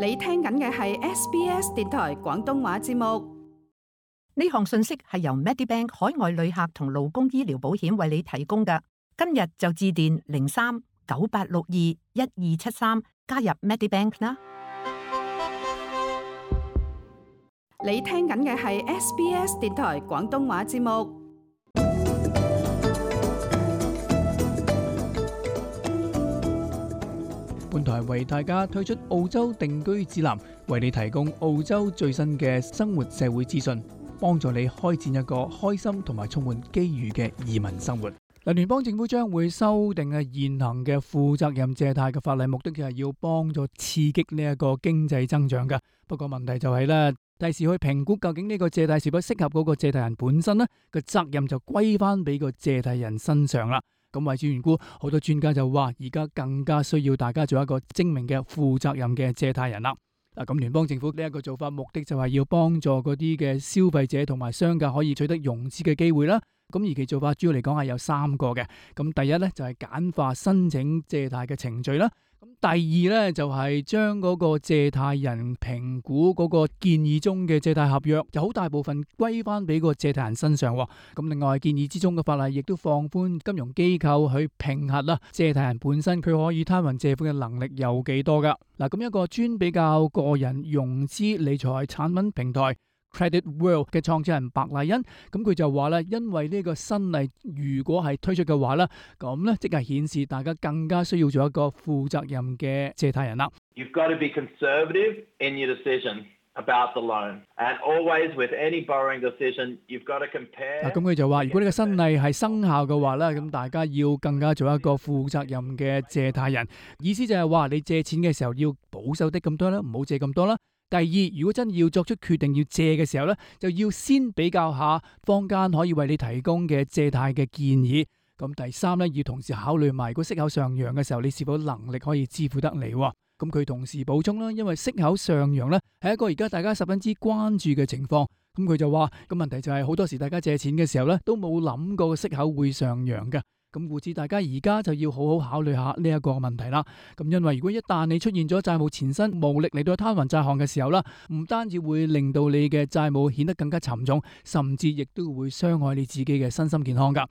你聽緊嘅係 SBS 電台廣東話節目。呢項信息係由 Medibank 海外旅客同勞工醫療保險為你提供嘅。今日就致電03-9862-1273加入 Medibank 啦。你聽緊嘅係 SBS 電台廣東話節目。本台為大家推出澳洲定居指南，為你提供澳洲最新嘅生活社會資訊，幫助你開展一個開心同埋充滿機遇嘅移民生活。聯邦政府將會修訂現行嘅負責任借貸嘅法例，目的就係要幫助刺激呢一個經濟增長嘅。不過問題就係咧，第時去評估究竟呢個借貸是否適合嗰個借貸人本身呢，個責任就歸翻俾個借貸人身上啦。咁為此緣故，好多專家就話，而家更加需要大家做一個精明嘅負責任嘅借貸人啦。嗱，咁聯邦政府呢一個做法，目的就係要幫助嗰啲嘅消費者同埋商家可以取得融資嘅機會啦。咁而其做法主要嚟講係有3個嘅。咁第一咧就係簡化申請借貸嘅程序啦。咁第二咧就係將嗰個借貸人評估嗰個建議中嘅借貸合約，就好大部分歸翻俾個借貸人身上。咁另外建議之中嘅法例亦都放寬金融機構去評核啦，借貸人本身佢可以攤還借款嘅能力有幾多噶。嗱，咁一個專比較個人融資理財產品平台Credit World 嘅創始人白麗欣，咁佢就話咧，因為呢個新例如果係推出嘅話咧，咁咧即係顯示大家更加需要做一個負責任嘅借貸人啦。You've got to be conservative in your decision about the loan, and always with any borrowing decision, you've got to compare。咁佢就話，如果呢個新例係生效嘅話咧，咁大家要更加做一個負責任嘅借貸人。意思就係話，你借錢嘅時候要保守啲咁多啦，唔好借咁多啦。第二，如果真要作出決定要借嘅時候咧，就要先比較下坊間可以為你提供嘅借貸嘅建議。咁第三咧，要同時考慮埋如果息口上揚嘅時候，你是否能力可以支付得嚟。咁佢同時補充啦，因為息口上揚咧係一個而家大家十分之關注嘅情況。咁佢就話，咁問題就係好多時大家借錢嘅時候咧，都冇諗過息口會上揚嘅。咁故此大家而家就要好好考慮下呢一個問題啦。咁因為如果一旦你出現咗債務纏身，無力嚟到攤還債項嘅時候啦，唔單止會令到你嘅債務顯得更加沉重，甚至亦都會傷害你自己嘅身心健康噶。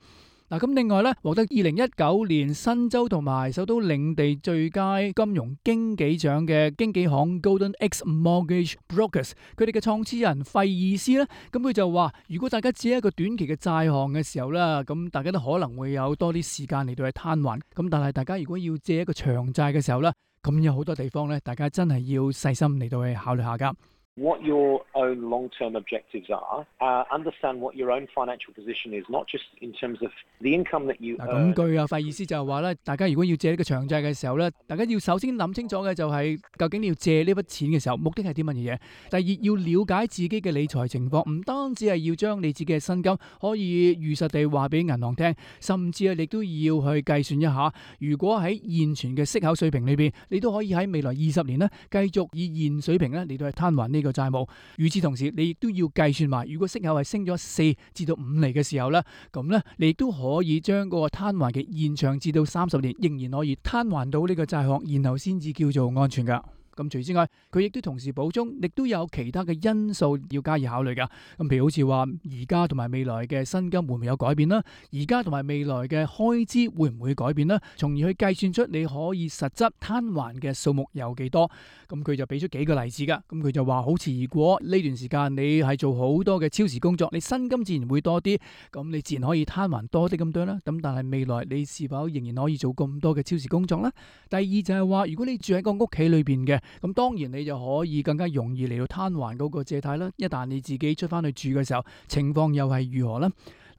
嗱，咁另外咧，獲得2019年新州同埋首都領地最佳金融經紀獎嘅經紀行 Golden X Mortgage Brokers， 佢哋嘅創始人費爾斯咧，咁佢就話，如果大家借一個短期嘅債項嘅時候啦，咁大家都可能會有多啲時間嚟到去攤還。咁但係大家如果要借一個長債嘅時候咧，咁有好多地方咧，大家真係要細心嚟到去考慮下噶。What your own long-term objectives are, understand what your own financial position is, not just in terms of the income that you earn。 咁據費爾斯就係話咧，大家如果要借呢個長債嘅時候咧，大家要首先諗清楚嘅就係究竟你要借呢筆錢嘅時候，目的係啲乜嘢？第二，要了解自己嘅理財情況，唔單止係要將你自己嘅薪金可以如實地話俾銀行聽，甚至係你都要去計算一下，如果喺現存嘅息口水平裏邊，你都可以喺未來20年咧繼續以現水平咧嚟到去攤還呢個債務。與此同時，你亦都要計算埋，如果息口係升咗4至到5厘嘅時候咧，咁咧你亦都可以將嗰個攤還期延長至到30年，仍然可以攤還到呢個債項，然後先至叫做安全噶。咁除此之外，佢亦都同時補充，亦都有其他嘅因素要加以考慮噶。咁譬如好似話，而家同埋未來嘅薪金會唔會有改變啦？而家同埋未來嘅開支會唔會改變啦？從而去計算出你可以實質攤還嘅數目有幾多？咁佢就俾出幾個例子噶。咁佢就話，好似如果呢段時間你係做好多嘅超時工作，你薪金自然會多啲，咁你自然可以攤還多啲咁多啦。咁但係未來你是否仍然可以做咁多嘅超時工作呢？第二就係話，如果你住喺個屋企裏邊嘅，咁當然你就可以更加容易嚟到攤還嗰個借貸啦。一旦你自己出翻去住嘅時候，情況又係如何呢？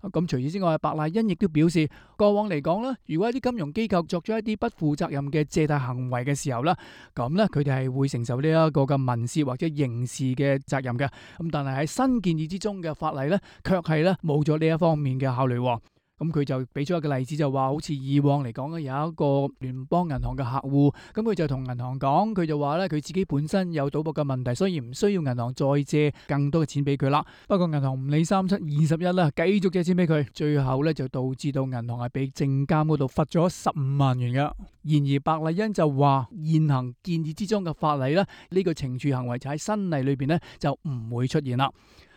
咁除此之外，白麗欣亦都表示，過往嚟講啦，如果一啲金融機構作咗一啲不負責任嘅借貸行為嘅時候啦，咁咧佢哋係會承受呢一個嘅民事或者刑事嘅責任嘅。咁但係喺新建議之中嘅法例咧，卻係咧冇咗呢一方面嘅考慮。咁佢就俾咗一個例子，就話好似以往嚟講咧，有一個聯邦銀行嘅客戶，咁佢就同銀行講，佢就話咧佢自己本身有賭博嘅問題，所以唔需要銀行再借更多嘅錢俾佢啦。不過銀行唔理3721啦，繼續借錢俾佢，最後咧就導致到銀行係俾證監嗰度罰咗15萬元噶。然而白麗欣就話現行建議之中嘅法例咧，呢個懲處行為就喺新例裏邊咧就唔會出現啦。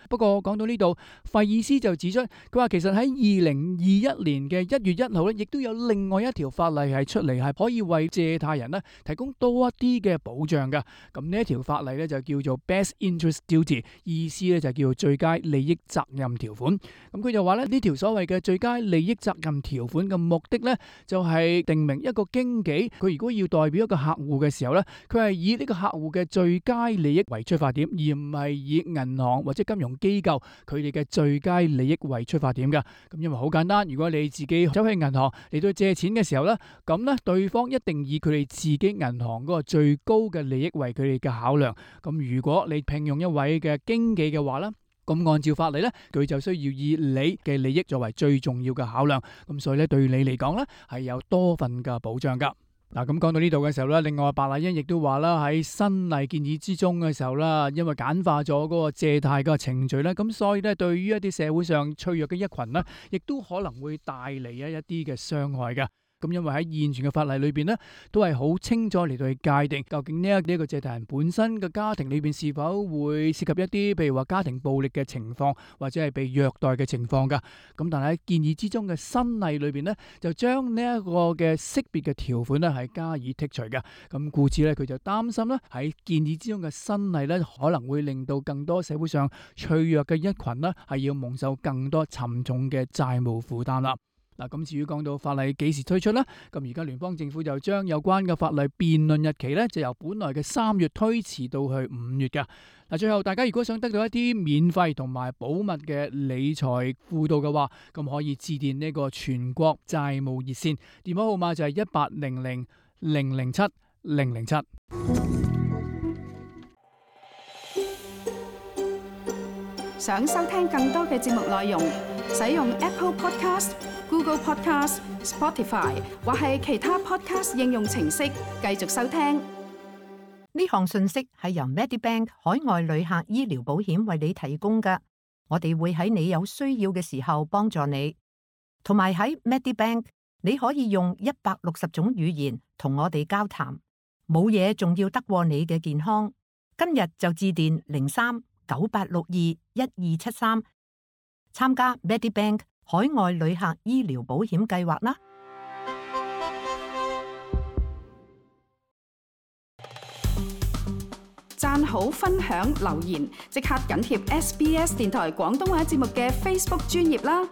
不過講到呢度，費爾斯就指出，佢話其實喺2021年嘅1月1號咧，亦都有另外一條法例係出嚟，係可以為借貸人咧提供多一啲嘅保障嘅。咁呢一條法例咧就叫做 Best Interest Duty， 意思咧就叫做最佳利益責任條款。咁佢就話咧呢條所謂嘅最佳利益責任條款嘅目的咧，就係定明一個經紀佢如果要代表一個客戶嘅時候咧，佢係以呢個客戶嘅最佳利益為出發點，而唔係以銀行或者金融機構佢哋嘅最佳利益為出發點㗎。咁因為好簡單，如果你自己走去銀行嚟到借錢嘅時候咧，咁咧對方一定以佢哋自己銀行嗰個最高嘅利益為佢哋嘅考量。咁如果你聘用一位嘅經紀嘅話咧，咁按照法例咧，佢就需要以你嘅利益作為最重要嘅考量。咁所以咧對你嚟講咧係有多份嘅保障㗎。嗱，咁講到呢度嘅時候咧，另外白麗欣亦都話啦，喺新例建議之中嘅時候啦，因為簡化咗嗰個借貸嘅程序咧，咁所以咧對於一啲社會上脆弱嘅一群咧，亦都可能會帶嚟一啲嘅傷害嘅。咁因為喺現存嘅法例裏邊咧，都係好清楚嚟到去界定究竟呢一個借貸人本身嘅家庭裏邊是否會涉及一啲譬如話家庭暴力嘅情況，或者係被虐待嘅情況噶。咁但係喺建議之中嘅新例裏邊咧，就將呢一個嘅識別嘅條款咧係加以剔除嘅。咁故此咧，佢就擔心咧喺建議之中嘅新例咧，可能會令到更多社會上脆弱嘅一群咧係要蒙受更多沉重嘅債務負擔啦。嗱，咁至於講到法例幾時推出呢？咁而家聯邦政府就將有關嘅法例辯論日期呢，就由本來嘅3月推遲到去5月㗎。嗱，最後大家如果想得到一啲免費同埋保密嘅理財輔導嘅話，咁可以致電呢個全國債務熱線，電話號碼就係1800-007-007。想收聽更多嘅節目內容，使用 Apple Podcast、Google Podcast、Spotify 或係其他 Podcast 應用程式繼續收聽。呢項信息係由 Medibank 海外旅客醫療保險為你提供嘅，我哋會喺你有需要嘅時候幫助你。同埋喺 Medibank 你可以用160種語言同我哋交談，冇嘢仲要得過你嘅健康。今日就致電03-9862-1273參加 Medibank 海外旅客醫療保險計劃啦！讚好、分享、留言，即刻緊貼SBS 電台廣東話節目嘅 Facebook 專頁啦！